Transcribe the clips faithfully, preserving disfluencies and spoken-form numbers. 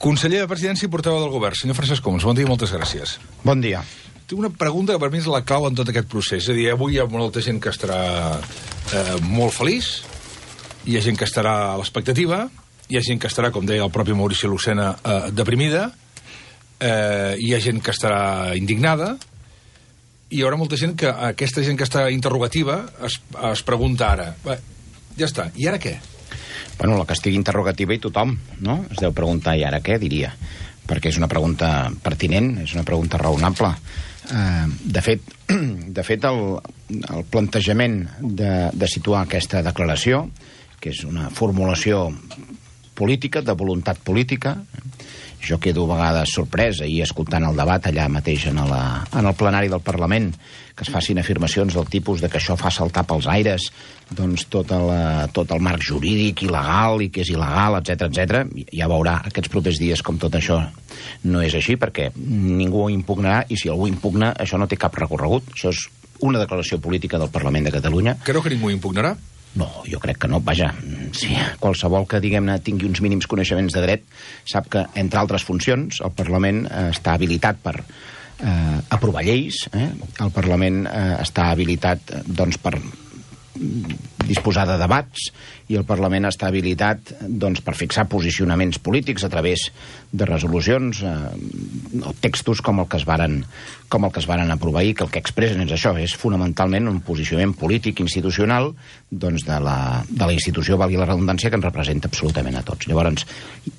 Conseller de Presidència i portaveu del Govern, senyor Francesc Homs, bon dia i moltes gràcies. Bon dia. Tinc una pregunta que per mi és la clau en tot aquest procés. És a dir, avui hi ha molta gent que estarà eh, molt feliç, hi ha gent que estarà a l'expectativa, hi ha gent que estarà, com deia el propi Maurici Lucena, eh, deprimida, eh, hi ha gent que estarà indignada, i hi haurà molta gent que, aquesta gent que està interrogativa, es, es pregunta ara, bé, ja està, i ara què? Bueno, la que estigui interrogativa i tothom, no? Es deu preguntar, i ara què, diria? Perquè és una pregunta pertinent, és una pregunta raonable. Eh, de fet, de fet el, el plantejament de, de situar aquesta declaració, que és una formulació política, de voluntat política, jo quedo a vegades sorpresa i escoltant el debat allà mateix en, la, en el plenari del Parlament, que es facin afirmacions del tipus de que això fa saltar pels aires doncs tot el, tot el marc jurídic il·legal i que és il·legal, etcètera, etcètera. Ja veurà aquests propers dies com tot això no és així, perquè ningú ho impugnarà, i si algú impugna, això no té cap recorregut. Això és una declaració política del Parlament de Catalunya. Creu que ningú impugnarà? No, jo crec que no. Vaja, sí, qualsevol que, diguem-ne, tingui uns mínims coneixements de dret sap que, entre altres funcions, el Parlament eh, està habilitat per eh, aprovar lleis, eh? El Parlament eh, està habilitat, doncs, per disposar de debats, i el Parlament està habilitat, doncs, per fixar posicionaments polítics a través de resolucions eh, o textos com el que es varen, com el que es varen aprovar ahir, que el que expressen és això, és fonamentalment un posicionament polític institucional, doncs, de la, de la institució, valgui la redundància, que ens representa absolutament a tots. Llavors,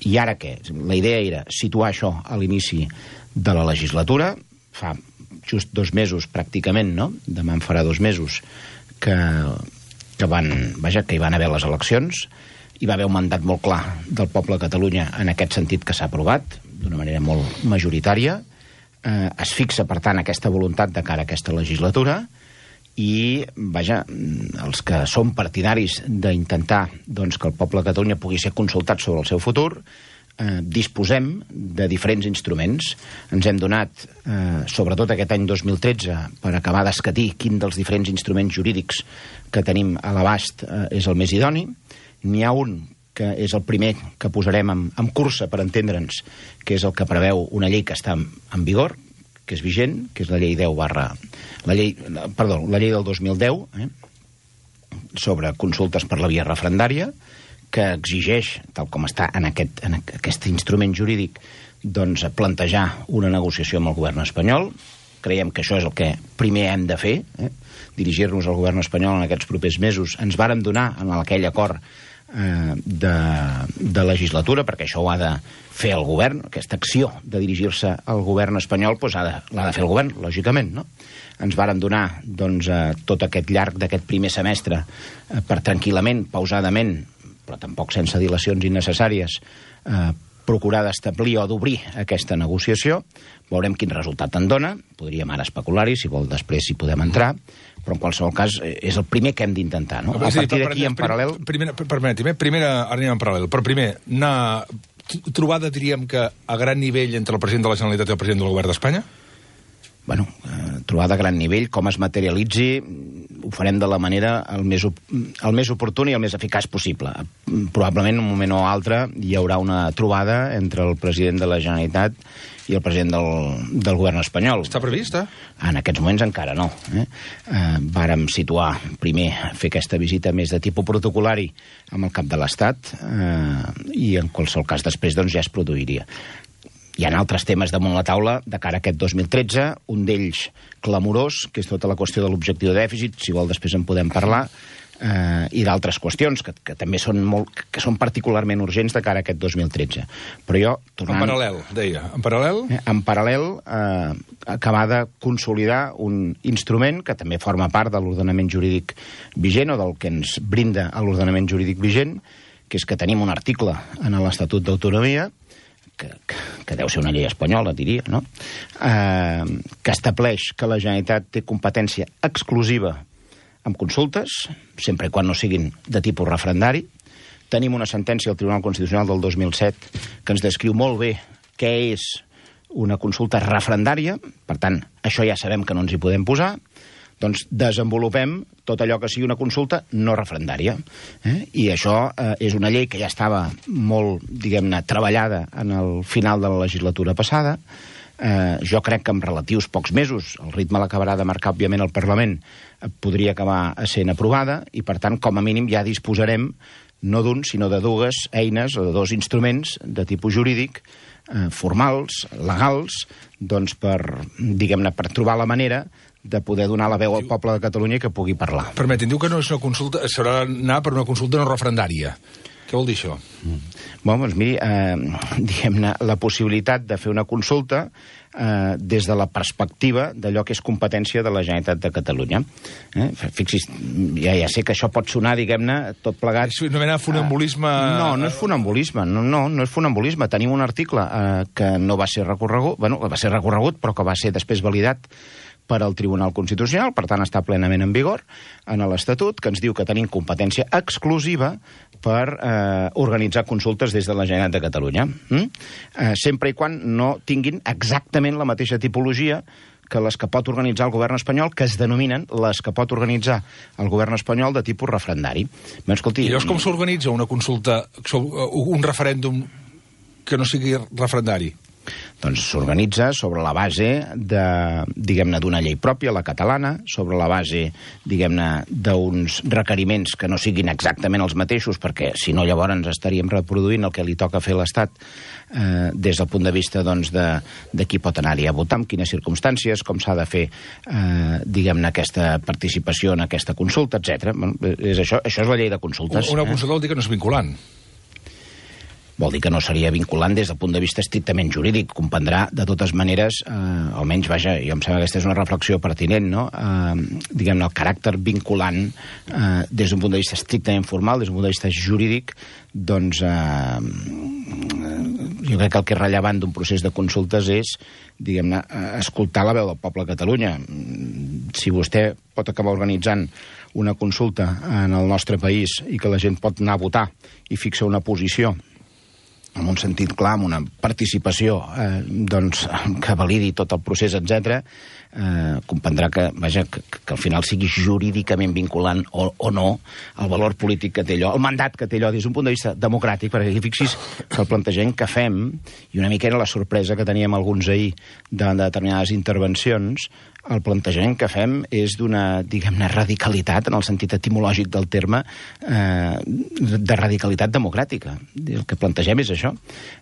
i ara què? La idea era situar això a l'inici de la legislatura, fa just dos mesos pràcticament, no? Demà en farà dos mesos que, que, van, vaja, que hi van haver les eleccions. Hi va haver un mandat molt clar del poble de Catalunya en aquest sentit, que s'ha aprovat d'una manera molt majoritària. Eh, es fixa, per tant, aquesta voluntat de cara a aquesta legislatura, i, vaja, els que som partidaris d'intentar, doncs, que el poble de Catalunya pugui ser consultat sobre el seu futur, eh, disposem de diferents instruments. Ens hem donat, eh, sobretot aquest any dos mil tretze, per acabar d'escatir quin dels diferents instruments jurídics que tenim a l'abast eh, és el més idoni. N'hi ha un que és el primer que posarem en, en cursa, per entendre'ns, que és el que preveu una llei que està en, en vigor, que és vigent, que és la llei deu barra... La llei, perdó, la llei del dos mil deu, eh, sobre consultes per la via referendària, que exigeix, tal com està en aquest, en aquest instrument jurídic, doncs, plantejar una negociació amb el govern espanyol. Creiem que això és el que primer hem de fer, eh? Dirigir-nos al govern espanyol en aquests propers mesos. Ens vàrem donar en aquell acord eh, de, de legislatura, perquè això ho ha de fer el govern, aquesta acció de dirigir-se al govern espanyol, doncs ha de, l'ha de fer el govern, lògicament, no? Ens vàrem donar, doncs, eh, tot aquest llarg d'aquest primer semestre eh, per tranquil·lament, pausadament, però tampoc sense dilacions innecessàries, eh, procurar d'establir o d'obrir aquesta negociació. Veurem quin resultat en dona. Podríem ara especular-hi, si vol després hi podem entrar, però en qualsevol cas és el primer que hem d'intentar, no? A partir d'aquí, en paral·lel... Permeti'm, primer anem en paral·lel, però primer, una trobada, diríem que a gran nivell entre el president de la Generalitat i el president del Govern d'Espanya? Bueno, eh, trobada a gran nivell, com es materialitzi, ho farem de la manera el més, el més oportuna i el més eficaç possible. Probablement, en un moment o altre, hi haurà una trobada entre el president de la Generalitat i el president del, del govern espanyol. Està previst, eh? En aquests moments encara no. Eh? Eh, vàrem situar, primer, fer aquesta visita més de tipus protocolari amb el cap de l'Estat, eh, i en qualsevol cas després doncs, ja es produiria. Hi ha altres temes damunt la taula de cara a aquest dos mil tretze, un d'ells clamorós, que és tota la qüestió de l'objectiu de dèficit, si vol després en podem parlar, eh, i d'altres qüestions que, que també són, molt, que són particularment urgents de cara a aquest dos mil tretze. Però jo... Tornant, en paral·lel, deia. En paral·lel? Eh, en paral·lel, eh, acabar de consolidar un instrument que també forma part de l'ordenament jurídic vigent, o del que ens brinda a l'ordenament jurídic vigent, que és que tenim un article en l'Estatut d'Autonomia, Que, que, que deu ser una llei espanyola, diria, no? Eh, que estableix que la Generalitat té competència exclusiva amb consultes, sempre i quan no siguin de tipus referendari. Tenim una sentència del Tribunal Constitucional del dos mil set que ens descriu molt bé què és una consulta referendària, per tant, això ja sabem que no ens hi podem posar. doncs desenvolupem tot allò que sigui una consulta no referendària. Eh? I això eh, és una llei que ja estava molt, diguem-ne, treballada en el final de la legislatura passada. Eh, jo crec que en relatius pocs mesos, el ritme l'acabarà de marcar, òbviament, el Parlament, eh, podria acabar sent aprovada, i, per tant, com a mínim ja disposarem no d'un, sinó de dues eines o de dos instruments de tipus jurídic, eh, formals, legals, doncs per, diguem-ne, per trobar la manera de poder donar la veu al poble de Catalunya i que pugui parlar. Permetin, diu que no és una consulta, s'haurà d'anar per una consulta no referendària. Què vol dir això? Mm. Bon, doncs miri, eh, diguem-ne, la possibilitat de fer una consulta eh, des de la perspectiva d'allò que és competència de la Generalitat de Catalunya. Eh? Fixis, ja, ja sé que això pot sonar, diguem-ne, tot plegat... És una mena de funambulisme... Eh, no, no és funambulisme, no, no, no és funambulisme. Tenim un article eh, que no va ser recorregut, bueno, va ser recorregut, però que va ser després validat per al Tribunal Constitucional, per tant està plenament en vigor en l'Estatut, que ens diu que tenim competència exclusiva per eh, organitzar consultes des de la Generalitat de Catalunya. Mm? Eh, sempre i quan no tinguin exactament la mateixa tipologia que les que pot organitzar el govern espanyol, que es denominen les que pot organitzar el govern espanyol de tipus referendari. Bé, escolti, I llavors com s'organitza una consulta, un referèndum que no sigui referendari? Doncs s'organitza sobre la base de, diguem-ne, d'una llei pròpia, la catalana, sobre la base, diguem-ne, d'uns requeriments que no siguin exactament els mateixos, perquè si no llavors ens estaríem reproduint el que li toca fer a l'Estat eh, des del punt de vista, doncs, de, de qui pot anar-hi a votar, en quines circumstàncies, com s'ha de fer, eh, diguem-ne, aquesta participació en aquesta consulta, etcètera. Bueno, és això, això és la llei de consultes. Una consulta vol dir que no és vinculant. Vol dir que no seria vinculant des del punt de vista estrictament jurídic. Comprendrà, de totes maneres, eh, almenys, vaja, jo em sembla que aquesta és una reflexió pertinent, no? Eh, diguem-ne, el caràcter vinculant eh, des d'un punt de vista estrictament formal, des d'un punt de vista jurídic, doncs eh, jo crec que el que és rellevant d'un procés de consultes és, diguem-ne, escoltar la veu del poble de Catalunya. Si vostè pot acabar organitzant una consulta en el nostre país i que la gent pot anar a votar i fixar una posició amb un sentit clar, amb una participació eh, doncs, que validi tot el procés, etcètera, eh, comprendrà que, vaja, que, que al final sigui jurídicament vinculant o, o no el valor polític que té allò, el mandat que té allò des d'un punt de vista democràtic, perquè aquí fixis que el plantejament que fem, i una mica era la sorpresa que teníem alguns ahir de, de determinades intervencions, el plantejament que fem és d'una, diguem-ne, radicalitat, en el sentit etimològic del terme, eh, de radicalitat democràtica. El que plantegem és això,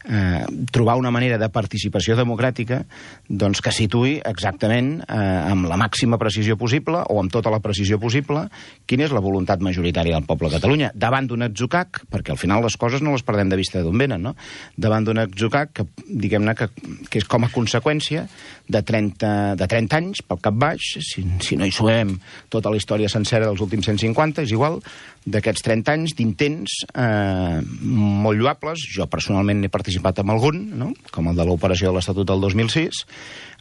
eh, trobar una manera de participació democràtica doncs, que situï exactament, eh, amb la màxima precisió possible, o amb tota la precisió possible, quina és la voluntat majoritària del poble de Catalunya, davant d'un atzucac, perquè al final les coses no les perdem de vista d'on venen, no? Davant d'un atzucac que, diguem-ne, que, que és com a conseqüència de trenta, de trenta anys, pel cap baix, si, si no hi sumem tota la història sencera dels últims cent cinquanta, és igual, d'aquests trenta anys d'intents eh, molt lloables. Jo personalment n'he participat en algun, no? Com el de l'operació de l'Estatut del dos mil sis,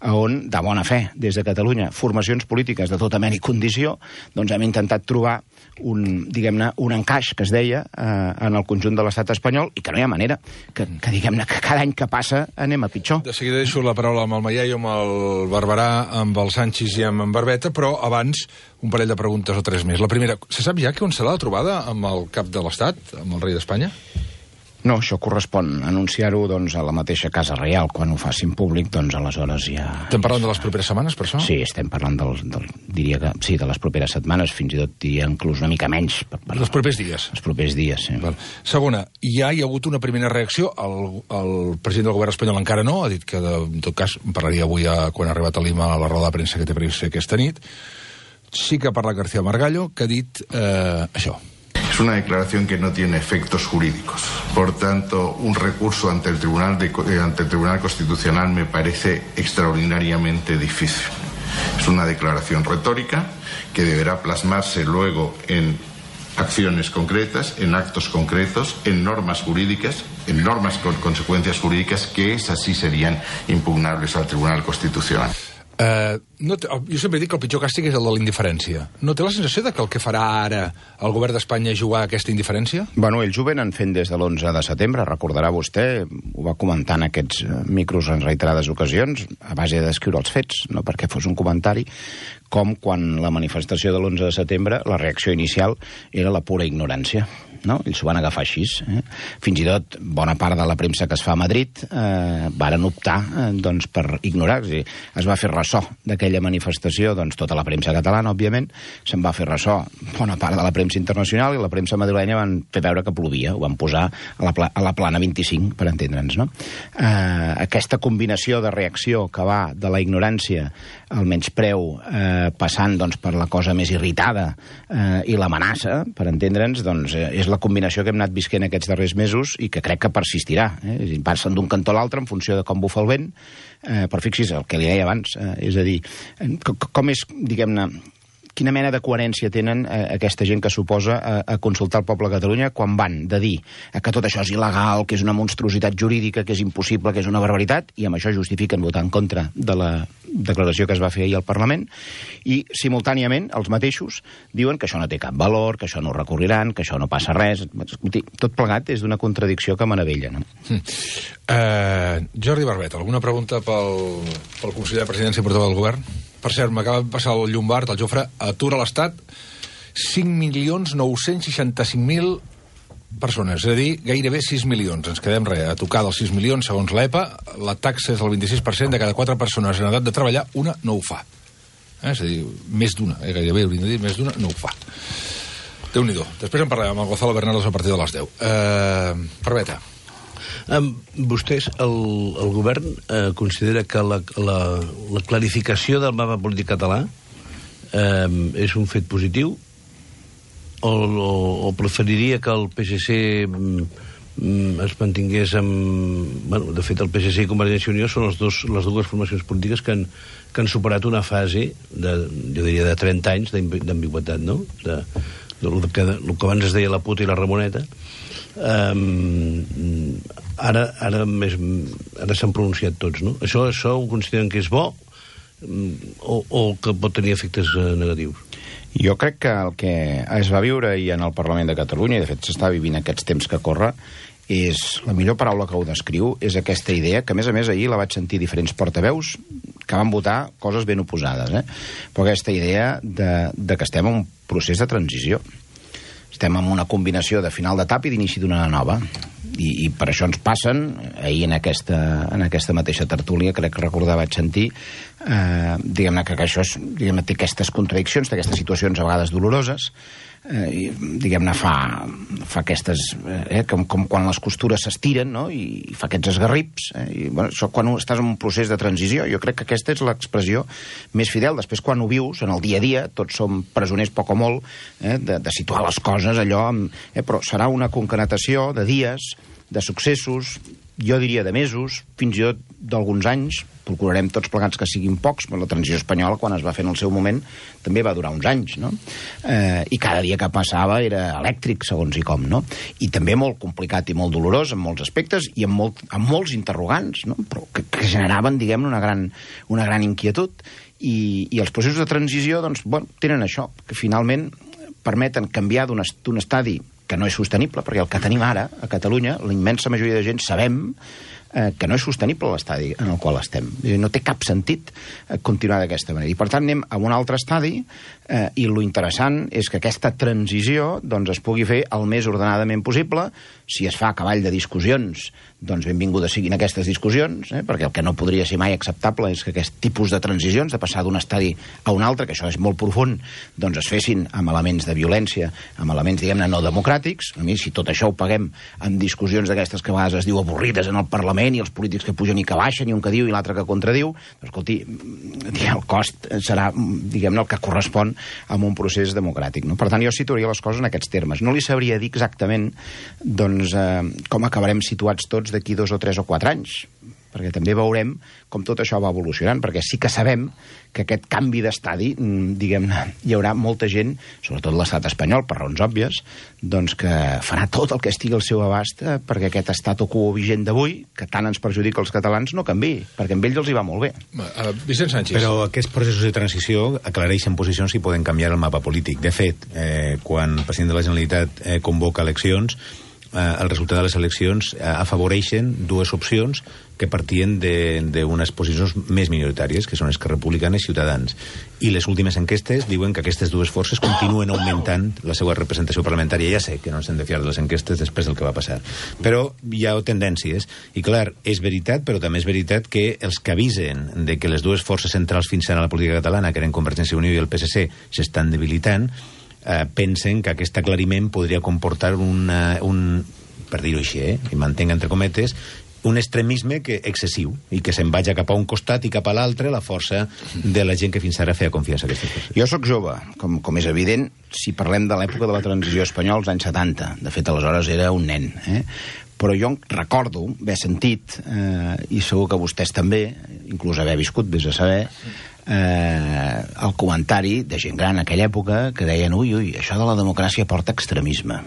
on, de bona fe, des de Catalunya, formacions polítiques de tota mena i condició, doncs hem intentat trobar un, diguem-ne, un encaix, que es deia, eh, en el conjunt de l'estat espanyol, i que no hi ha manera, que, que diguem-ne, que cada any que passa anem a pitjor. De seguida deixo la paraula amb el Maià, amb el Barberà, amb el Sanchis i amb en Barbeta, però abans un parell de preguntes o tres més. La primera, se sap ja que on serà la trobada amb el cap de l'Estat, amb el rei d'Espanya? No, això correspon anunciar-ho doncs, a la mateixa Casa Reial. Quan ho facin públic, doncs aleshores ja... Estem parlant de les properes setmanes, per això? Sí, estem parlant del, del, diria que, sí, de les properes setmanes, fins i tot diria inclús una mica menys. Per, per, els propers dies? Els propers dies, sí. Val. Segona, ja hi ha hagut una primera reacció, el, el president del govern espanyol encara no, ha dit que, de, en tot cas, parlaria avui a, quan ha arribat a Lima a la roda de premsa que té previst aquesta nit. Sí que ha parlat García Margallo, que ha dit eh, això. Es una declaración que no tiene efectos jurídicos. Por tanto, un recurso ante el Tribunal, de, ante el Tribunal Constitucional me parece extraordinariamente difícil. Es una declaración retórica que deberá plasmarse luego en acciones concretas, en actos concretos, en normas jurídicas, en normas con consecuencias jurídicas que esas sí serían impugnables al Tribunal Constitucional. Uh, no té, jo sempre dic que el pitjor càstig és el de la indiferència. No té la sensació de que el que farà ara el govern d'Espanya és jugar a aquesta indiferència? Bueno, ells ho venen fent des de l'onze de setembre, recordarà vostè, ho va comentar en aquests micros en reiterades ocasions, a base de descriure els fets, no perquè fos un comentari, com quan la manifestació de l'onze de setembre, la reacció inicial era la pura ignorància. No? Ells s'ho van agafar així. Eh? Fins i tot bona part de la premsa que es fa a Madrid eh, varen optar eh, doncs, per ignorar. És a dir, es va fer ressò d'aquella manifestació, doncs tota la premsa catalana, òbviament, se'n va fer ressò bona part de la premsa internacional i la premsa madrilenya van fer veure que plovia, ho van posar a la, pla a la plana vint-i-cinc, per entendre'ns. No? Eh, aquesta combinació de reacció que va de la ignorància al menyspreu eh, passant doncs, per la cosa més irritada eh, i l'amenaça, per entendre'ns, doncs, eh, és la combinació que hem anat visquent aquests darrers mesos i que crec que persistirà. Eh? És a dir, passen d'un cantó a l'altre en funció de com bufa el vent, eh, però fixi's el que li deia abans, eh, és a dir, com, com és, diguem-ne, quina mena de coherència tenen eh, aquesta gent que s'oposa a, a consultar el poble de Catalunya quan van de dir que tot això és il·legal, que és una monstruositat jurídica, que és impossible, que és una barbaritat, i amb això justifiquen votar en contra de la declaració que es va fer ahir al Parlament, i simultàniament els mateixos diuen que això no té cap valor, que això no ho recorriran, que això no passa res. Escolti, tot plegat és d'una contradicció que meravella, no? Mm. Uh, Jordi Barbet, alguna pregunta pel, pel conseller de Presidència i portaveu del Govern? Per cert, m'acaba de passar el Llombard, el Jofre, atura l'Estat cinc milions nou-cents seixanta-cinc mil persones, és a dir, gairebé sis milions. Ens quedem res, a tocar dels sis milions, segons l'E P A, la taxa és el vint-i-sis per cent, de cada quatre persones en edat de treballar, una no ho fa. Eh? És a dir, més d'una, eh? gairebé hauríem de dir, més d'una no ho fa. Déu-n'hi-do. Després en parlem amb el Gonzalo Bernardos a partir de les deu. Uh, Barbeta. Um, vostès, el, el govern eh, considera que la, la, la clarificació del mapa polític català eh, és un fet positiu o, o, o preferiria que el P S C mm, es mantingués amb... Bueno, de fet, el P S C i Convergència i Unió són els dos, les dues formacions polítiques que han, que han superat una fase de, jo diria, de trenta anys d'ambigüitat, no? De, de, de, que, el que abans es deia la puta i la Ramoneta. Um, ara ara més ara s'han pronunciat tots, no? Això, això ho consideren que és bo o, o que pot tenir efectes uh, negatius? Jo crec que el que es va viure ahir en el Parlament de Catalunya, i de fet s'està vivint aquests temps que corre, és la millor paraula que ho descriu, és aquesta idea, que a més a més ahir la vaig sentir diferents portaveus que van votar coses ben oposades, eh? Però aquesta idea de, de que estem en un procés de transició. Estem en una combinació de final d'etapa i d'inici d'una nova. I, I per això ens passen, ahir en aquesta, en aquesta mateixa tertúlia, crec que recordar vaig sentir, eh, diguem-ne que, que això és, diguem-ne, té aquestes contradiccions, té aquestes situacions a vegades doloroses, eh, i, diguem-ne, fa, fa aquestes... Eh, com, com quan les costures s'estiren, no?, i, i fa aquests esgarrips. Eh, i, bueno, això quan estàs en un procés de transició, jo crec que aquesta és l'expressió més fidel. Després, quan ho vius, en el dia a dia, tots som presoners poc o molt, eh, de, de situar les coses allò, amb, eh, però serà una concatenació de dies, de successos, jo diria de mesos, fins i tot d'alguns anys. Procurarem tots plegats que siguin pocs, però la transició espanyola, quan es va fer en el seu moment, també va durar uns anys, no? Eh, I cada dia que passava era elèctric, segons i com, no? I també molt complicat i molt dolorós en molts aspectes i amb, molt, amb molts interrogants, no? Però que, que generaven, diguem-ne, una gran, una gran inquietud. I, i els processos de transició, doncs, bueno, tenen això, que finalment permeten canviar d'un estadi que no és sostenible, perquè el que tenim ara a Catalunya, la immensa majoria de gent sabem eh, que no és sostenible l'estadi en el qual estem. No té cap sentit eh, continuar d'aquesta manera. I per tant anem a un altre estadi eh, i lo interessant és que aquesta transició doncs, es pugui fer el més ordenadament possible. Si es fa a cavall de discussions, doncs benvingudes siguin aquestes discussions, eh? perquè el que no podria ser mai acceptable és que aquest tipus de transicions, de passar d'un estadi a un altre, que això és molt profund, doncs es fessin amb elements de violència, amb elements, diguem-ne, no democràtics. A mi, si tot això ho paguem amb discussions d'aquestes que a vegades es diu avorrides en el Parlament, i els polítics que pugen i que baixen, i un que diu i l'altre que contradiu, doncs, escolti, el cost serà, diguem-ne, el que correspon a un procés democràtic, no? Per tant, jo situaria les coses en aquests termes. No li sabria dir exactament, doncs, eh, com acabarem situats tots d'aquí dos o tres o quatre anys, perquè també veurem com tot això va evolucionant, perquè sí que sabem que aquest canvi d'estadi, diguem-ne, hi haurà molta gent, sobretot l'estat espanyol, per raons òbvies, doncs que farà tot el que estigui al seu abast perquè aquest estat quo vigent d'avui, que tant ens perjudica els catalans, no canviï, perquè amb ells els hi va molt bé. Uh, Vicent Sánchez. Però aquests processos de transició aclareixen posicions i poden canviar el mapa polític. De fet, eh, quan el president de la Generalitat eh, convoca eleccions, eh, el resultat de les eleccions eh, afavoreixen dues opcions que partien d'unes posicions més minoritàries, que són Esquerra Republicana i Ciutadans. I les últimes enquestes diuen que aquestes dues forces continuen augmentant la seva representació parlamentària. Ja sé que no ens hem de fiar de les enquestes després del que va passar. Però hi ha tendències. I clar, és veritat, però també és veritat que els que avisen de que les dues forces centrals fins ara a la política catalana, que eren Convergència i Unió i el P S C, s'estan debilitant, eh, pensen que aquest aclariment podria comportar una, un, per dir-ho així, eh, i mantenga entre cometes, un extremisme que excessiu i que se'n vagi cap a un costat i cap a l'altre la força de la gent que fins ara feia confiança a aquestes forces. Jo sóc jove, com, com és evident, si parlem de l'època de la transició espanyola als anys setanta. De fet, aleshores era un nen. Eh? Però jo recordo haver sentit, eh, i segur que vostès també, inclús haver viscut, vés a saber, eh, el comentari de gent gran en aquella època que deien ui, ui, això de la democràcia porta extremisme.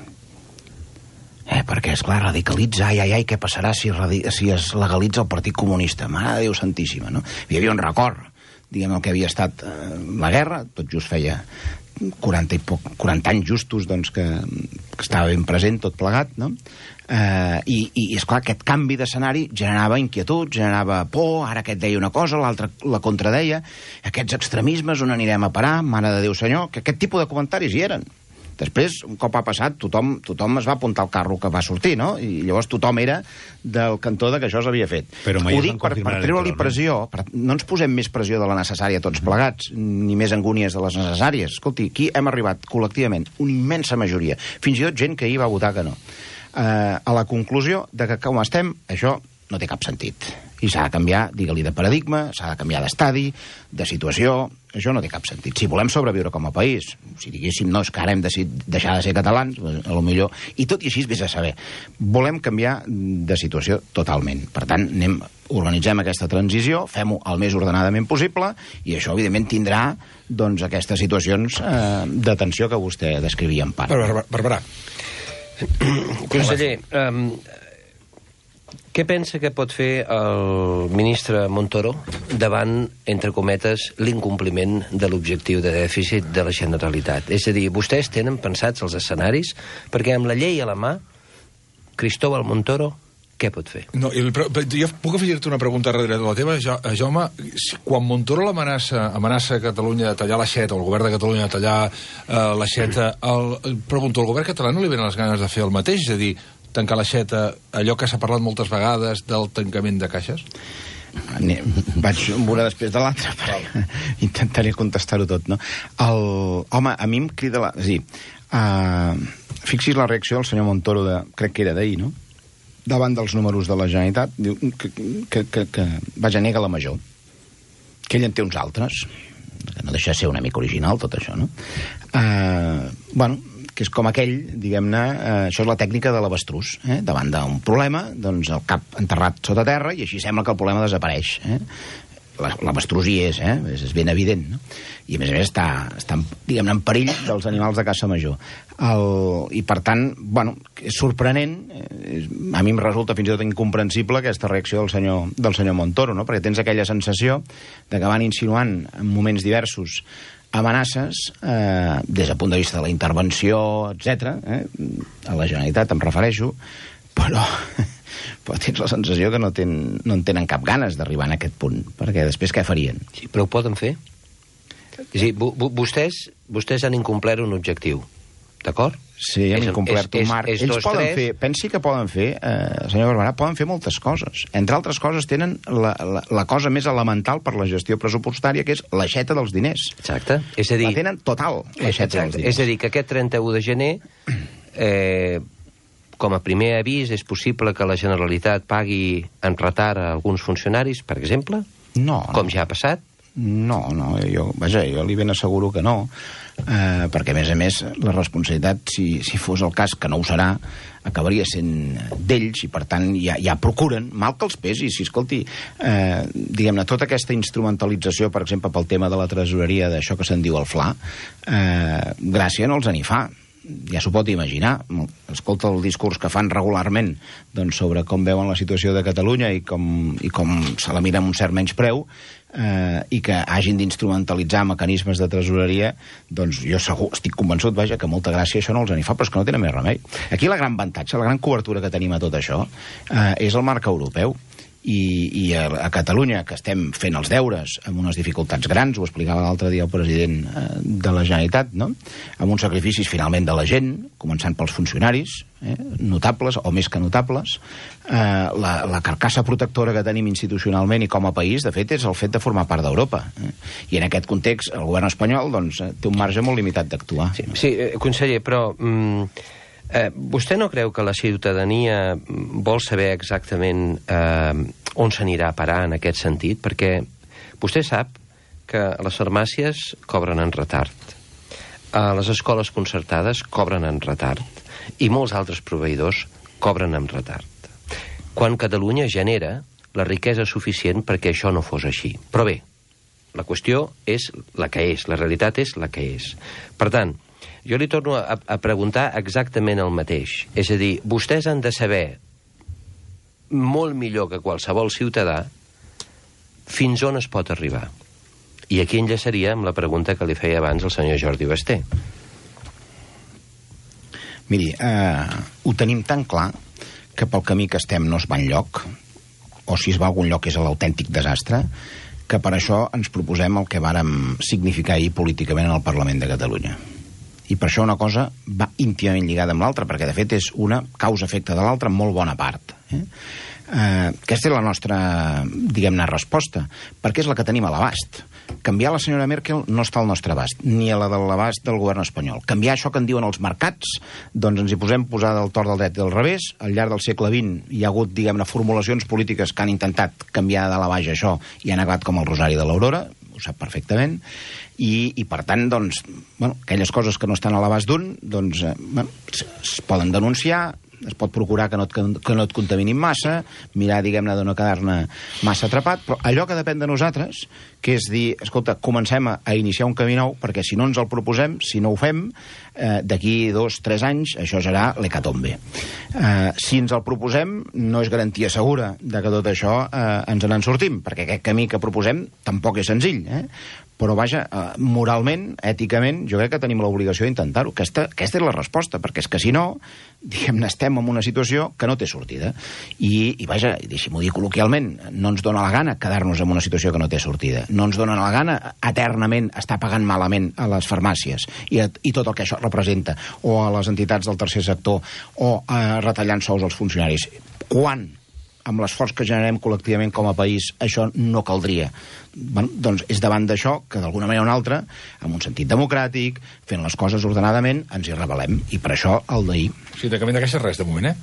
Eh, perquè, esclar, radicalitza, ai, ai, ai, què passarà si, si es legalitza el Partit Comunista? Mare de Déu Santíssima, no? Hi havia un record, diguem, el que havia estat eh, la guerra, tot just feia quaranta, i poc, quaranta anys justos, doncs, que, que estava ben present, tot plegat, no? Eh, i, i, esclar, aquest canvi d'escenari generava inquietud, generava por, ara aquest deia una cosa, l'altre la contradeia, aquests extremismes, on anirem a parar, mare de Déu senyor, que aquest tipus de comentaris hi eren. Després, un cop ha passat, tothom, tothom es va apuntar al carro que va sortir, no? I llavors tothom era del cantó de que això s'havia fet. Però mai ho dic per, per treure-li pressió. Per, no ens posem més pressió de la necessària tots plegats, ni més angúnies de les necessàries. Escolti, aquí hem arribat col·lectivament, una immensa majoria, fins i tot gent que ahir va votar que no, eh, a la conclusió de que com estem, això no té cap sentit. I s'ha de canviar, digue-li, de paradigma, s'ha de canviar d'estadi, de situació. Això no té cap sentit. Si volem sobreviure com a país, si diguéssim, no, és que ara hem decidit deixar de ser catalans, a lo millor, i tot i així vés a saber, volem canviar de situació totalment. Per tant, anem, organitzem aquesta transició, fem-ho el més ordenadament possible, i això, evidentment, tindrà doncs, aquestes situacions eh, de tensió que vostè descrivia en part. Barberà. Conseller, um, què pensa que pot fer el ministre Montoro davant, entre cometes, l'incompliment de l'objectiu de dèficit de la Generalitat? És a dir, vostès tenen pensats els escenaris? Perquè amb la llei a la mà, Cristóbal Montoro, què pot fer? No, el, jo puc afegir-te una pregunta darrere de la teva, jo, Jaume. Quan Montoro l'amenaça amenaça Catalunya de tallar l'aixeta, o el govern de Catalunya de tallar eh, l'aixeta, el, pregunto, el govern català no li venen les ganes de fer el mateix? És a dir, tancar l'aixeta, allò que s'ha parlat moltes vegades del tancament de caixes? Vaig una després de l'altra, però intentaré contestar-ho tot, no? El, home, a mi em crida la... És a dir, uh, fixis la reacció del senyor Montoro, de, crec que era d'ahir, no? Davant dels números de la Generalitat, diu que, que, que, que vaja, nega la major, que ell en té uns altres, que no deixa de ser una mica original tot això, no? Uh, bueno, que és com aquell, diguem-ne, eh, això és la tècnica de l'avestrús, eh? Davant d'un problema, doncs el cap enterrat sota terra, i així sembla que el problema desapareix, eh? L'avestrús hi és, eh? És, és ben evident, no? I a més a més està, està diguem-ne, en perill dels animals de caça major. El, I per tant, bueno, és sorprenent, eh, a mi em resulta fins i tot incomprensible aquesta reacció del senyor, del senyor Montoro, no? Perquè tens aquella sensació de que van insinuant en moments diversos amenaces, eh, des del punt de vista de la intervenció, etcètera, eh, a la Generalitat em refereixo, però, però tens la sensació que no, ten, no en tenen cap ganes d'arribar en aquest punt, perquè després què farien? Sí, però ho poden fer? És a dir, vostès, vostès han incomplert un objectiu, d'acord? Sí, hem incomplert un marc. És, és, és Ells dos, poden tres... fer, pensi que poden fer, eh, senyor Barberà, poden fer moltes coses. Entre altres coses tenen la, la, la cosa més elemental per la gestió pressupostària, que és l'aixeta dels diners. Exacte. És a dir... La tenen total, l'aixeta dels diners. És a dir, que aquest trenta-u de gener, eh, com a primer avís, és possible que la Generalitat pagui en retard a alguns funcionaris, per exemple? No. Com ja ha passat? No, no, jo, vaja, jo li ben asseguro que no. eh, perquè, a més a més, la responsabilitat, si, si fos el cas, que no ho serà, acabaria sent d'ells, i per tant ja, ja procuren, mal que els pesi, si escolti, eh, diguem-ne, tota aquesta instrumentalització, per exemple, pel tema de la tresoreria, d'això que se'n diu el Fla, eh, gràcia no els en hi fa. Ja s'ho pot imaginar. Escolta el discurs que fan regularment, doncs, sobre com veuen la situació de Catalunya i com, i com se la mira amb un cert menyspreu, eh, i que hagin d'instrumentalitzar mecanismes de tresoreria, doncs jo segur, estic convençut, vaja, que molta gràcia això no els en hi fa, però és que no tenen més remei. Aquí la gran avantatge, la gran cobertura que tenim a tot això, eh, és el marc europeu. I, i a, a Catalunya, que estem fent els deures amb unes dificultats grans, ho explicava l'altre dia el president eh, de la Generalitat, no? Amb uns sacrificis finalment de la gent, començant pels funcionaris, eh, notables o més que notables, eh, la, la carcassa protectora que tenim institucionalment i com a país, de fet, és el fet de formar part d'Europa. Eh? I en aquest context, el govern espanyol doncs, té un marge molt limitat d'actuar. Sí, sí, conseller, però... Mm... Eh, vostè no creu que la ciutadania vol saber exactament eh, on s'anirà a parar en aquest sentit? Perquè vostè sap que les farmàcies cobren en retard, eh, les escoles concertades cobren en retard i molts altres proveïdors cobren en retard. Quan Catalunya genera la riquesa suficient perquè això no fos així. Però bé, la qüestió és la que és, la realitat és la que és. Per tant, jo li torno a, a preguntar exactament el mateix. És a dir, vostès han de saber molt millor que qualsevol ciutadà fins on es pot arribar. I aquí enllaçaria amb la pregunta que li feia abans el senyor Jordi Basté. Miri, eh, ho tenim tan clar que pel camí que estem no es va enlloc, o si es va a algun lloc és l'autèntic desastre, que per això ens proposem el que vàrem significar ahir políticament en el Parlament de Catalunya. I per això una cosa va íntimament lligada amb l'altra, perquè de fet és una causa-efecte de l'altra en molt bona part. Eh? Eh, aquesta és la nostra, diguem-ne, resposta, perquè és la que tenim a l'abast. Canviar la senyora Merkel no està al nostre abast, ni a la de l'abast del govern espanyol. Canviar això que en diuen els mercats, doncs ens hi posem posar del tort del dret i del revés. Al llarg del segle vint hi ha hagut, diguem-ne, formulacions polítiques que han intentat canviar de la baix això i han acabat com el Rosari de l'Aurora, ho sap perfectament, i, i per tant, doncs, bueno, aquelles coses que no estan a l'abast d'un, doncs, eh, bueno, es, es poden denunciar, es pot procurar que no et, que no et contaminin massa, mirar, diguem-ne, de no quedar-ne massa atrapat, però allò que depèn de nosaltres, que és dir, escolta, comencem a, a iniciar un camí nou, perquè si no ens el proposem, si no ho fem, eh, d'aquí dos, tres anys, això serà l'hecatombe. Eh, si ens el proposem, no és garantia segura de que tot això eh, ens en sortim, perquè aquest camí que proposem tampoc és senzill, eh? Però, vaja, eh, moralment, èticament, jo crec que tenim l'obligació d'intentar-ho. Aquesta, aquesta és la resposta, perquè és que si no, diguem-ne, estem en una situació que no té sortida. I, i vaja, deixi-m'ho dir col·loquialment, no ens dona la gana quedar-nos en una situació que no té sortida. No ens dona la gana eternament estar pagant malament a les farmàcies i, a, i tot el que això representa, o a les entitats del tercer sector, o eh, retallant sous als funcionaris. Quan, amb l'esforç que generem col·lectivament com a país, això no caldria? Bueno, doncs és davant d'això que d'alguna manera o una altra, amb un sentit democràtic, fent les coses ordenadament, ens hi rebel·lem. I per això el d'ahir. Sí, de camí de caixa res, de moment, eh?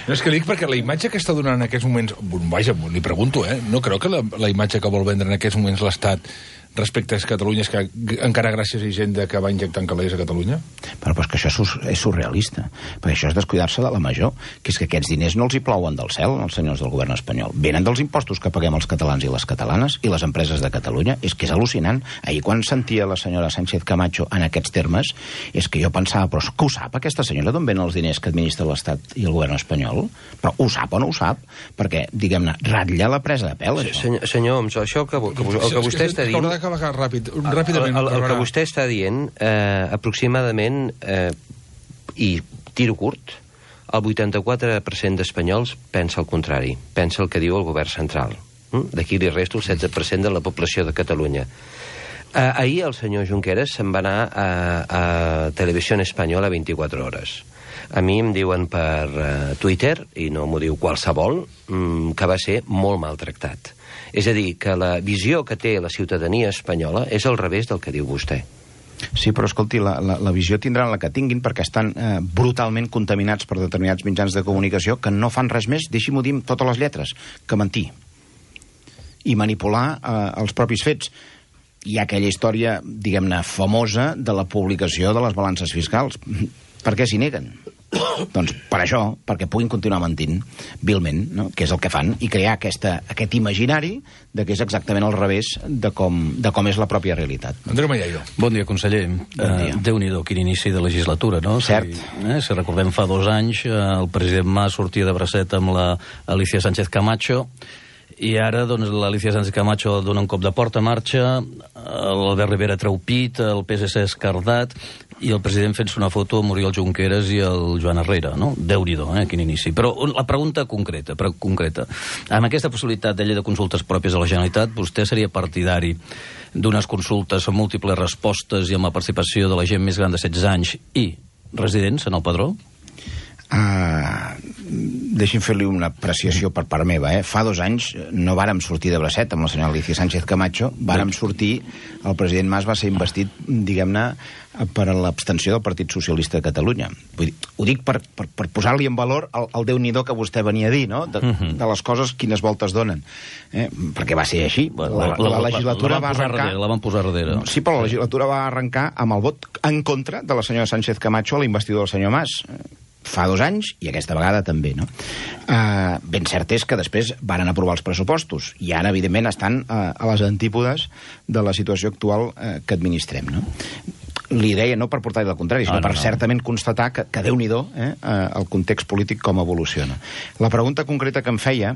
No, és que li dic perquè la imatge que està donant en aquests moments... Vaja, li pregunto, eh? No creu que la, la imatge que vol vendre en aquests moments l'Estat respecte a Catalunya és que encara gràcies a Hisenda que va injectant calés a Catalunya? Però, però és que això és surrealista, perquè això és descuidar-se de la major, que és que aquests diners no els hi plouen del cel als senyors del govern espanyol, venen dels impostos que paguem els catalans i les catalanes i les empreses de Catalunya. És que és al·lucinant. Ahir quan sentia la senyora Sánchez Camacho en aquests termes, és que jo pensava, però que ho sap aquesta senyora d'on venen els diners que administra l'Estat i el govern espanyol? Però ho sap o no ho sap? Perquè, diguem-ne, ratlla la presa de pèl, això. Senyor, senyor Homs, això que, que, el que vostè està dient... Ràpid, ràpidament. El, el, el que vostè està dient, eh, aproximadament, eh, i tiro curt, el vuitanta-quatre per cent d'espanyols pensa el contrari, pensa el que diu el govern central. Mm? D'aquí li resto el setze per cent de la població de Catalunya. Eh, ahir el senyor Junqueras se'n va anar a, a Televisió Espanyola vint-i-quatre hores. A mi em diuen per uh, Twitter, i no m'ho diu qualsevol, mm, que va ser molt maltractat. És a dir, que la visió que té la ciutadania espanyola és al revés del que diu vostè. Sí, però escolti, la, la, la visió tindran la que tinguin perquè estan eh, brutalment contaminats per determinats mitjans de comunicació que no fan res més, deixi-m'ho dir amb totes les lletres, que mentir i manipular eh, els propis fets. hi ha aquella història, diguem-ne, famosa de la publicació de les balances fiscals. Per què s'hi neguen? Doncs per això, perquè puguin continuar mentint vilment, no? Que és el que fan, i crear aquesta, aquest imaginari de que és exactament al revés de com, de com és la pròpia realitat. Andreu Mallaio. Bon dia, conseller. Bon dia. Uh, Déu-n'hi-do, quin inici de legislatura, no? Cert. Si, eh, si recordem fa dos anys, uh, el president Mas sortia de bracet amb la Alicia Sánchez Camacho, i ara doncs, l'Alicia Sánchez Camacho dona un cop de porta, marxa, l'Albert Rivera treu pit, el P S C escardat, i el president fent-se una foto amb Oriol Junqueras i el Joan Herrera, no? Déu-n'hi-do, eh? Quin inici. Però la pregunta concreta, però concreta. Amb aquesta possibilitat de llei de consultes pròpies a la Generalitat, vostè seria partidari d'unes consultes amb múltiples respostes i amb la participació de la gent més gran de setze anys i residents en el padró? Uh, deixi'm fer-li una apreciació per part meva, eh? Fa dos anys no vàrem sortir de bracet amb la senyora Alicia Sánchez Camacho, vàrem sortir, el president Mas va ser investit, diguem-ne, per l'abstenció del Partit Socialista de Catalunya. Vull dir, ho dic per, per, per posar-li en valor el, el Déu-n'hi-do que vostè venia a dir, no? De, uh-huh. de les coses quines voltes donen. Eh? Perquè va ser així. Bueno, la, la, la legislatura la, la va arrencar... Darrere, la van posar darrere. Sí, però la legislatura va arrencar amb el vot en contra de la senyora Sánchez Camacho a la investidura del senyor Mas. Fa dos anys, i aquesta vegada també, no? Uh, ben cert és que després varen aprovar els pressupostos, i ara, evidentment, estan uh, a les antípodes de la situació actual uh, que administrem, no? Li deia no per portar-hi el contrari, sinó ah, no, per no. certament constatar que, que Déu-n'hi-do eh, el context polític com evoluciona. La pregunta concreta que em feia,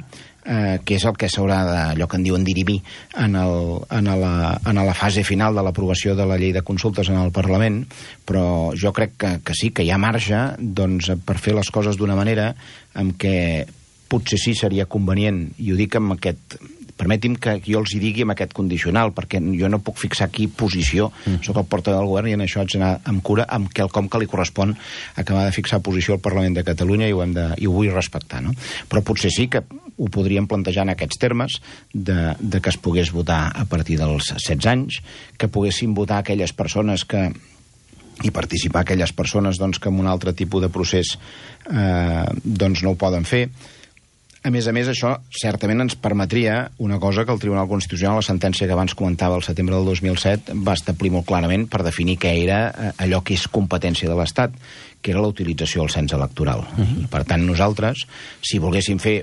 eh, que és el que s'haurà de, allò que en diuen dirimir en, el, en, la, en la fase final de l'aprovació de la llei de consultes en el Parlament, però jo crec que, que sí, que hi ha marge doncs, per fer les coses d'una manera en què potser sí seria convenient, i ho dic amb aquest... Permeti'm que jo els hi digui amb aquest condicional, perquè jo no puc fixar aquí posició, mm. soc el portaveu del govern i en això haig d'anar amb cura amb quelcom que li correspon acabar de fixar posició al Parlament de Catalunya i ho, hem de, i ho vull respectar, no? Però potser sí que ho podríem plantejar en aquests termes de, de que es pogués votar a partir dels setze anys, que poguessin votar aquelles persones que i participar aquelles persones doncs, que en un altre tipus de procés eh, doncs no ho poden fer. A més a més, això certament ens permetria una cosa que el Tribunal Constitucional, la sentència que abans comentava el setembre del dos mil set, va establir molt clarament per definir què era allò que és competència de l'Estat, que era la utilització del cens electoral. Uh-huh. Per tant, nosaltres, si volguéssim fer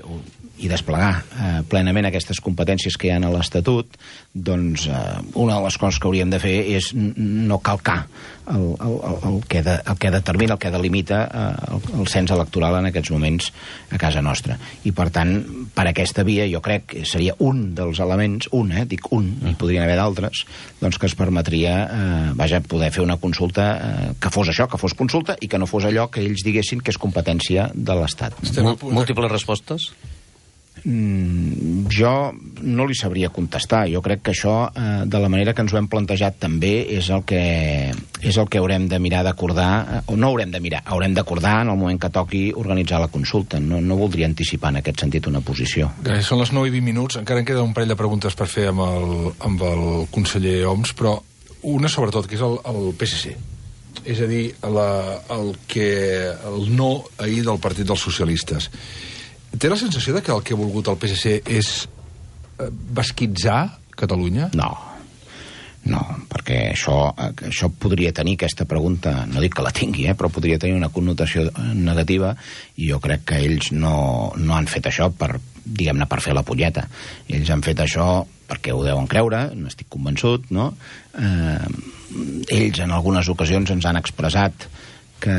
i desplegar eh, plenament aquestes competències que hi ha a l'Estatut, doncs eh, una de les coses que hauríem de fer és no calcar el, el, el, que, de, el que determina, el que delimita eh, el, el cens electoral en aquests moments a casa nostra. I, per tant, per aquesta via jo crec que seria un dels elements, un, eh, dic un, i podrien haver d'altres, doncs que es permetria eh, vaja, poder fer una consulta eh, que fos això, que fos consulta, i que no fos allò que ells diguessin que és competència de l'Estat. Múltiples respostes? Mm, jo no li sabria contestar. Jo crec que això, eh, de la manera que ens ho hem plantejat també, és el que, és el que haurem de mirar d'acordar, eh, o no haurem de mirar, haurem d'acordar en el moment que toqui organitzar la consulta. No, no voldria anticipar en aquest sentit una posició. Gràcies, són les nou i vint minuts, encara en queda un parell de preguntes per fer amb el, amb el conseller Homs, però una sobretot, que és el, el P S C. És a dir, la, el, que, el no ahir del Partit dels Socialistes. Té la sensació de que el que ha volgut el P S C és basquitzar Catalunya? No, no, perquè això, això podria tenir aquesta pregunta, no dic que la tingui, eh, però podria tenir una connotació negativa, i jo crec que ells no, no han fet això per, diguem-ne, per fer la punyeta. Ells han fet això perquè ho deuen creure, n'estic convençut, no? Eh, ells en algunes ocasions ens han expressat que,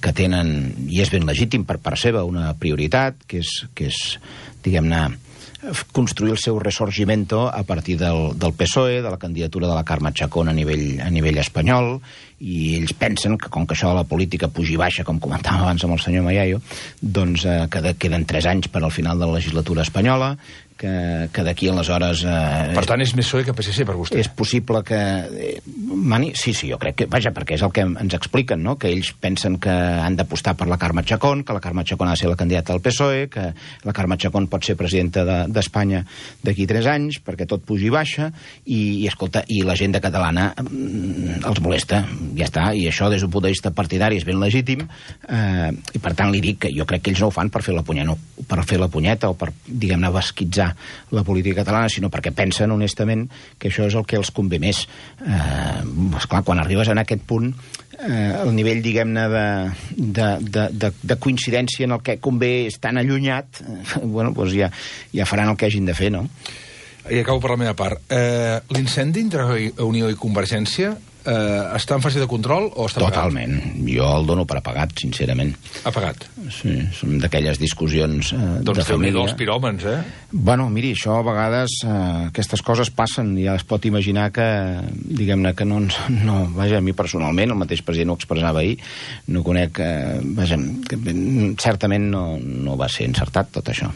que tenen, i és ben legítim per part seva, una prioritat, que és, que és diguem-ne, construir el seu resorgimento a partir del, del P S O E, de la candidatura de la Carme Chacón a nivell, a nivell espanyol, i ells pensen que com que això de la política pugi baixa, com comentàvem abans amb el senyor Mallaio, doncs eh, que queden tres anys per al final de la legislatura espanyola, que, que d'aquí aleshores... Eh, per tant, és més P S O E que P S C per vostè? És possible que... Eh, mani, sí, sí, jo crec que... Vaja, perquè és el que ens expliquen, no?, que ells pensen que han d'apostar per la Carme Chacón, que la Carme Chacón ha de ser la candidata del P S O E, que la Carme Chacón pot ser presidenta d'Espanya de, d'aquí tres anys, perquè tot pugi baixa, i, i escolta, i la gent de catalana mm, els molesta, ja està, i això des d'un punt de vista partidari és ben legítim, eh, i per tant li dic que jo crec que ells no ho fan per fer la punyeta, no, per fer la punyeta o per, diguem-ne, basquitzar polititzar la política catalana, sinó perquè pensen honestament que això és el que els convé més. Eh, esclar, quan arribes en aquest punt, eh, el nivell, diguem-ne, de, de, de, de, de coincidència en el que convé és tan allunyat, eh, bueno, doncs ja, ja faran el que hagin de fer, no? I acabo per la meva part. Eh, L'incendi entre Unió i Convergència eh, està en fase de control o està apagat? Totalment. Jo el dono per apagat, sincerament. Apagat? Sí, són d'aquelles discussions eh, doncs de família. Doncs els piròmens, eh? Bueno, miri, això a vegades, eh, aquestes coses passen, ja es pot imaginar que, diguem-ne, que no, no... Vaja, a mi personalment, el mateix president ho expressava ahir, no conec... Eh, vaja, que, certament no, no va ser encertat tot això.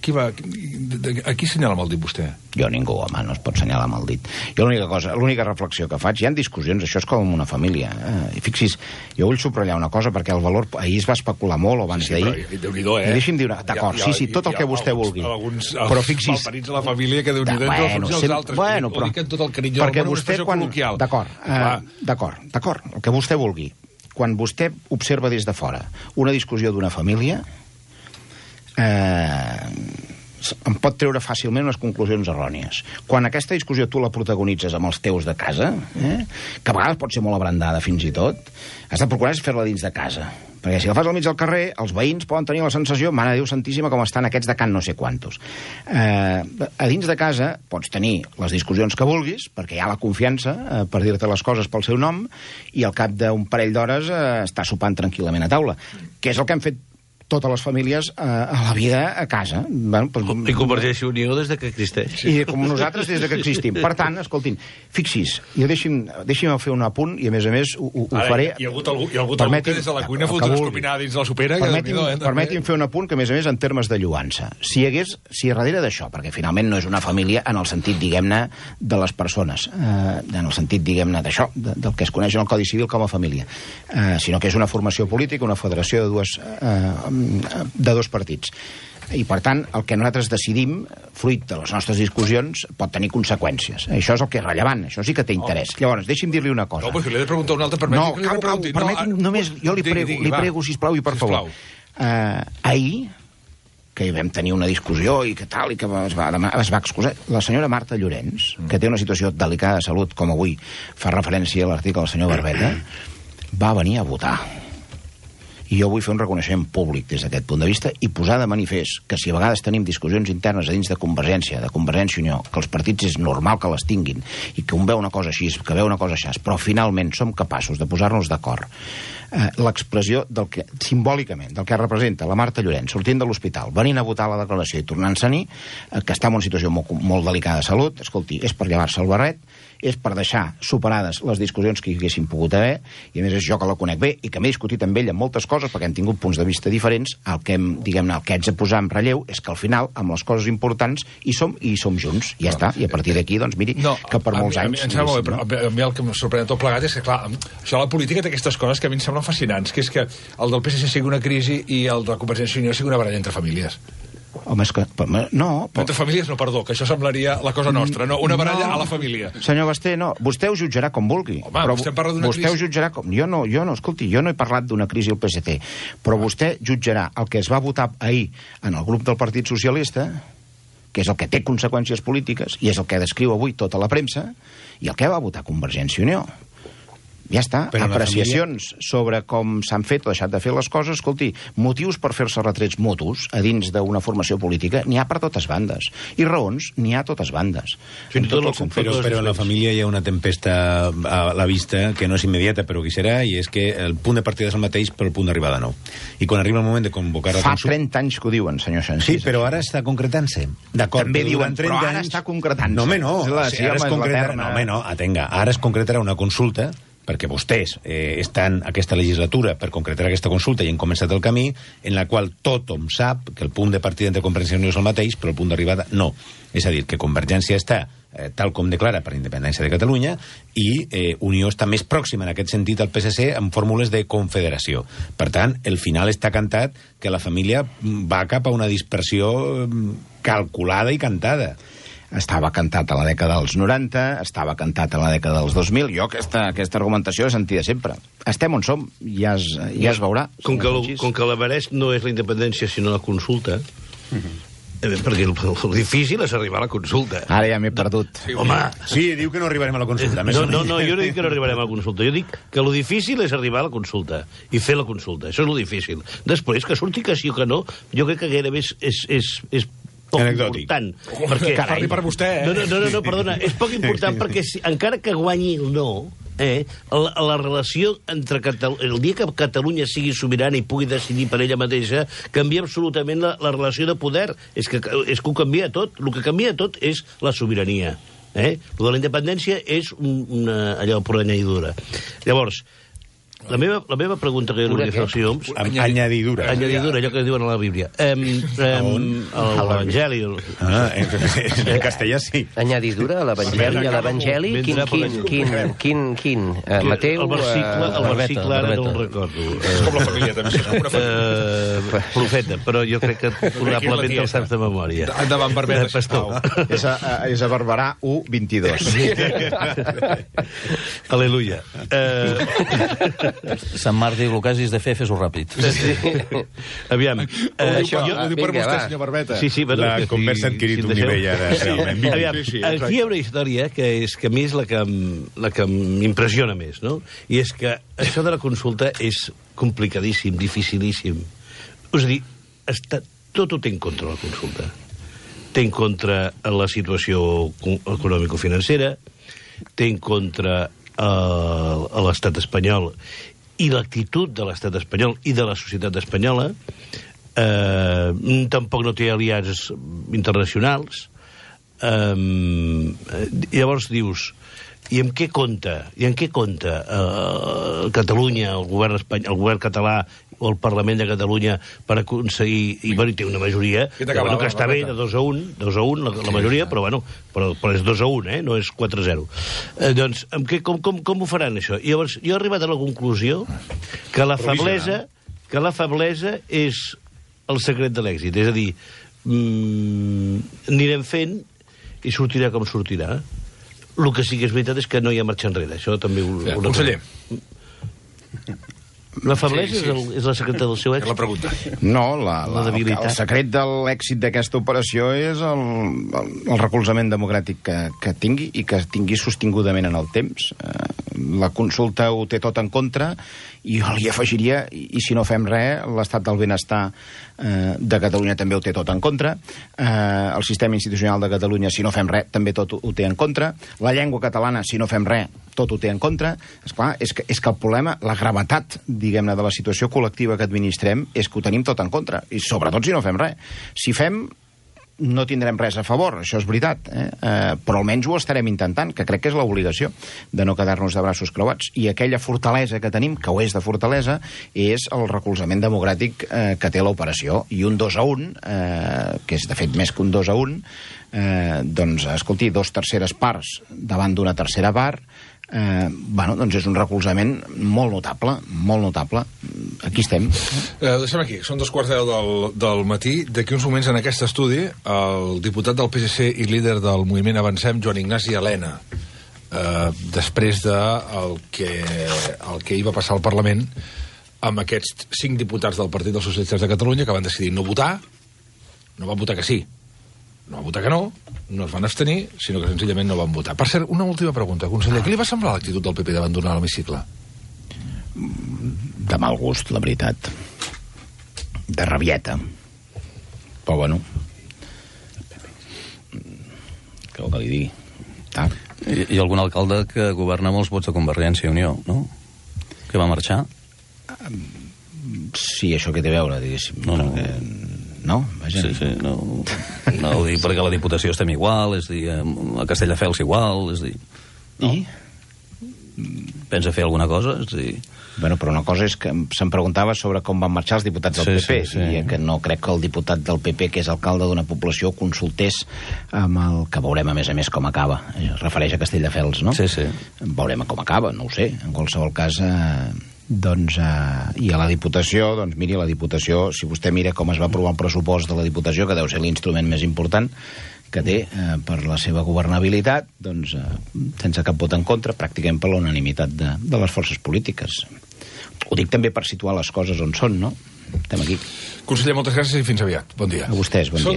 Qui va... A qui senyala amb el dit vostè? Jo ningú, home, no es pot senyalar amb el dit. Jo l'única cosa, l'única reflexió que faig, hi ha discussions, això és com una família. Eh? I fixis, jo vull subratllar una cosa, perquè el valor... Ahir es va especular molt, o abans sí, sí, d'ahir. Però, Déu-n'hi-do, eh? I deixi'm dir una... D'acord, sí, sí, tot el que vostè alguns, vulgui. Alguns, però fixis... malparits a la família que Déu-n'hi-do entre els uns i els altres. Bueno, però... Ho dic amb tot el carinyo perquè del món, vostè, quan... D'acord, eh, d'acord, d'acord, el que vostè vulgui. Quan vostè observa des de fora una discussió d'una família... Eh... em pot treure fàcilment unes conclusions errònies. Quan aquesta discussió tu la protagonitzes amb els teus de casa, eh, que a vegades pot ser molt abrandada fins i tot, has de procurar fer-la dins de casa. Perquè si la fas al mig del carrer, els veïns poden tenir la sensació, mare de Déu santíssima, com estan aquests de Can no sé quantos. Eh, a dins de casa pots tenir les discussions que vulguis, perquè hi ha la confiança eh, per dir-te les coses pel seu nom, i al cap d'un parell d'hores eh, està sopant tranquil·lament a taula. Que és el que han fet totes les famílies eh, a la vida a casa. Bueno, pues, I Convergència i Unió des de que existeix. I com nosaltres des de que existim. Per tant, escoltin, fixis, jo deixi'm, deixi'm fer un apunt i, a més a més, ho, ho Ara, faré... Hi ha hagut algú, hi ha hagut algú que des de la cuina fot una escopinada dins la sopera. Permeti'm, que, eh, permeti'm fer un apunt que, a més a més, en termes de lluança. Si hi hagués, si darrere d'això, perquè finalment no és una família en el sentit, diguem-ne, de les persones, eh, en el sentit, diguem-ne, d'això, de, del que es coneix en el Codi Civil com a família, eh, sinó que és una formació política, una federació de dues... Eh, de dos partits. I, per tant, el que nosaltres decidim, fruit de les nostres discussions, pot tenir conseqüències. Això és el que és rellevant, això sí que té interès. Oh. Llavors, deixi'm dir-li una cosa. No, però si li he de preguntar una altra, permeti no, que li pregunti. No, permeti'm, no, només, jo li prego, digui, digui, li prego sisplau, i per favor. Uh, ahir, que vam tenir una discussió i que tal, i que es va, es va excusar, la senyora Marta Llorens, mm. que té una situació delicada de salut, com avui fa referència a l'article del senyor Barbeta, va venir a votar. I jo vull fer un reconeixement públic des d'aquest punt de vista i posar de manifest que si a vegades tenim discussions internes a dins de Convergència, de Convergència i Unió, que els partits és normal que les tinguin i que un veu una cosa així, que veu una cosa així, però finalment som capaços de posar-nos d'acord. Eh, l'expressió del que, simbòlicament, del que representa la Marta Llorens sortint de l'hospital, venint a votar la declaració i tornant-se-n'hi, eh, que està en una situació molt, molt delicada de salut, escolti, és per llevar-se el barret, és per deixar superades les discussions que hi haguessin pogut haver, i a més és jo que la conec bé i que m'he discutit amb ell en moltes coses perquè hem tingut punts de vista diferents. El que hem, diguem-ne, el que haig de posar en relleu és que al final, amb les coses importants, hi som i hi som junts, i ja no, està, i a partir d'aquí, doncs miri, no, que per molts a mi, anys... A mi, em sembla, no? a mi el que em sorprèn tot plegat és que, clar, això la política té aquestes coses que a mi em semblen fascinants, que és que el del P S C sigui una crisi i el de Convergència i Unió sigui una baralla entre famílies. Home, és que... No, però... Entre famílies, no, perdó, que això semblaria la cosa nostra, no? Una baralla no, a la família. Senyor Basté, no, vostè ho jutjarà com vulgui. Home, però vostè parla d'una vostè crisi... ho jutjarà com... Jo no, jo no, escolti, jo no he parlat d'una crisi al P S C, però vostè jutjarà el que es va votar ahir en el grup del Partit Socialista, que és el que té conseqüències polítiques, i és el que descriu avui tota la premsa, i el que va votar Convergència i Unió. Ja està, però apreciacions família... sobre com s'han fet o deixat de fer les coses, escolti, motius per fer-se retrets mutus a dins d'una formació política n'hi ha per totes bandes, i raons n'hi ha a totes bandes. Sí, tot tot però, però en la família hi ha una tempesta a la vista que no és immediata, però que serà, i és que el punt de partida és el mateix, però el punt d'arribada no. I quan arriba el moment de convocar la consulta... Fa trenta anys que ho diuen, senyor Sánchez. Sí, però ara està concretant-se. D'acord, també diuen, però ara anys... està concretant-se. No, home, no. La, sí, ara es concretarà, no, home, no, atenga, ara es concretarà una consulta perquè vostès eh, estan aquesta legislatura per concretar aquesta consulta i han començat el camí, en la qual tothom sap que el punt de partida entre Convergència i Unió és el mateix, però el punt d'arribada no. És a dir, que Convergència està, eh, tal com declara, per independència de Catalunya, i eh, Unió està més pròxima en aquest sentit al P S C amb fórmules de confederació. Per tant, el final està cantat que la família va cap a una dispersió calculada i cantada. Estava cantat a la dècada dels noranta, estava cantat a la dècada dels dos mil. Jo aquesta, aquesta argumentació l'he sentida sempre. Estem on som, ja es, ja es veurà. Com que, com que l'Everest no és la independència, sinó la consulta, uh-huh. Perquè el, el difícil és arribar a la consulta. Ara ja m'he perdut. Sí, Home, Sí, diu que no arribarem a la consulta. més no, o no, menys. no, jo no dic que no arribarem a la consulta. Jo dic que el difícil és arribar a la consulta i fer la consulta. Això és el difícil. Després, que surti que sí o que no, jo crec que gairebé és, és, és, és poc Anecdòtic. important. Oh, parli per vostè, eh? No, no, no, no, no, perdona, és poc important perquè si, encara que guanyi el no, eh, la, la relació entre Catalunya, el dia que Catalunya sigui sobirana i pugui decidir per ella mateixa, canvia absolutament la, la relació de poder. És que, és que ho canvia tot. El que canvia tot és la sobirania. Eh? El de la independència és un, una, allò, pura añadidura. Llavors, la meva, la meva pregunta que jo li faig, Homs... Amb añadidura. Añadidura, allò que diuen a la Bíblia. Um, um, L'Evangeli... Ah, en, en castellà sí. Añadidura a l'Evangeli, a l'Evangeli, quin, quin, quin, quin, quin, uh, Mateu... El versicle, el Barbeta, versicle ara no Barbeta. el recordo. És com la família, també. És com una família. Uh, profeta, però jo crec que probablement te'l saps de memòria. Endavant, Barbeta, Eh, pastor. sisplau. És a, a, és a Barberà u vint-i-dos. Aleluia. Uh, Sant Marc diu, el que hagis de fer, fes-ho ràpid. aviam. Uh, Això, Ho diu per vinga, vostè, va. senyor Barbeta. Sí, sí, bueno, La que conversa ha adquirit si un deixeu- nivell ara, realment. Aviam, Sí, sí, aquí hi ha una història que és que a mi és la que, em- la que m'impressiona més, no? I és que això de la consulta és complicadíssim, dificilíssim. És a dir, està, tot ho té en contra la consulta. Té en contra la situació co- econòmico-financera, té en contra eh, l'estat espanyol i l'actitud de l'estat espanyol i de la societat espanyola. Eh, tampoc no té aliats internacionals. Eh, llavors dius, i amb què compta? I en què compta eh, Catalunya, el govern espanyol, el govern català o el Parlament de Catalunya per aconseguir... I, bueno, té una majoria Què que, t'acabava, bueno, que està bé, Barbeta? de dos a un, dos a un, la, la majoria, però, bueno, però, però és dos a un, eh? No és quatre a zero. Eh, doncs, amb què, com, com, com ho faran, això? I llavors, jo he arribat a la conclusió que la feblesa, que la feblesa és el secret de l'èxit. És a dir, mm, anirem fent i sortirà com sortirà. El que sí que és veritat és que no hi ha marxa enrere. Això també ho... Ja, ho conseller. La feblesa Sí, sí. És, el, és la secreta del seu És la èxit. pregunta. No, la, la, La el, debilitat. el secret de l'èxit d'aquesta operació és el, el, el recolzament democràtic que, que tingui i que tingui sostingudament en el temps. Eh, la consulta ho té tot en contra i jo li afegiria, i, i si no fem res, l'estat del benestar eh, de Catalunya també ho té tot en contra, eh, el sistema institucional de Catalunya, si no fem res, també tot ho, ho té en contra, la llengua catalana, si no fem res, tot ho té en contra. Esclar, és que, és que el problema, la gravetat, diguem-ne, de la situació col·lectiva que administrem és que ho tenim tot en contra, i sobretot si no fem res. Si fem, no tindrem res a favor, això és veritat, eh? Eh, però almenys ho estarem intentant, que crec que és l'obligació de no quedar-nos de braços creuats. I aquella fortalesa que tenim, que ho és de fortalesa, és el recolzament democràtic eh, que té l'operació. I un dos a un, eh, que és de fet més que un dos a un, eh, doncs, escolti, dos terceres parts davant d'una tercera part, eh, bueno, doncs és un recolzament molt notable, molt notable. Aquí estem. Eh, deixem aquí, són dos quarts de deu del, del matí. D'aquí uns moments en aquest estudi, el diputat del P S C i líder del moviment Avancem, Joan Ignasi Elena, eh, després de el que, el que hi va passar al Parlament amb aquests cinc diputats del Partit dels Socialistes de Catalunya que van decidir no votar, no van votar que sí, no van votar que no, no es van abstenir, sinó que senzillament no van votar. Per cert, una última pregunta, conseller. Què li va semblar l'actitud del P P d'abandonar l'hemicicle? De mal gust, la veritat. De rabieta. Però bueno. Què vol que li digui? Ah. I, I algun alcalde que governa molts vots de Convergència i Unió, no? Que va marxar. Sí, això que té a veure, diguéssim. No, no. Perquè... No? Vaja. Sí, sí, no, no ho dic perquè a la Diputació estem igual, és dir, a Castelldefels igual, és dir... No. I? Pensa fer alguna cosa? És dir... Bueno, però una cosa és que se'm preguntava sobre com van marxar els diputats del Sí, P P, sí, sí. i que no crec que el diputat del P P, que és alcalde d'una població, consultés amb el que veurem, a més a més, com acaba. Es refereix a Castelldefels, no? Sí, sí. Veurem com acaba, no ho sé. En qualsevol cas, eh, doncs, eh, i a la Diputació, doncs miri, la Diputació, si vostè mira com es va aprovar el pressupost de la Diputació, que deu ser l'instrument més important que té eh, per la seva governabilitat, doncs, eh, sense cap vot en contra, pràcticament per l'unanimitat de, de les forces polítiques. Ho dic també per situar les coses on són, no? Estem aquí. Conseller, moltes gràcies i fins aviat. Bon dia. A vostès, bon Són dia.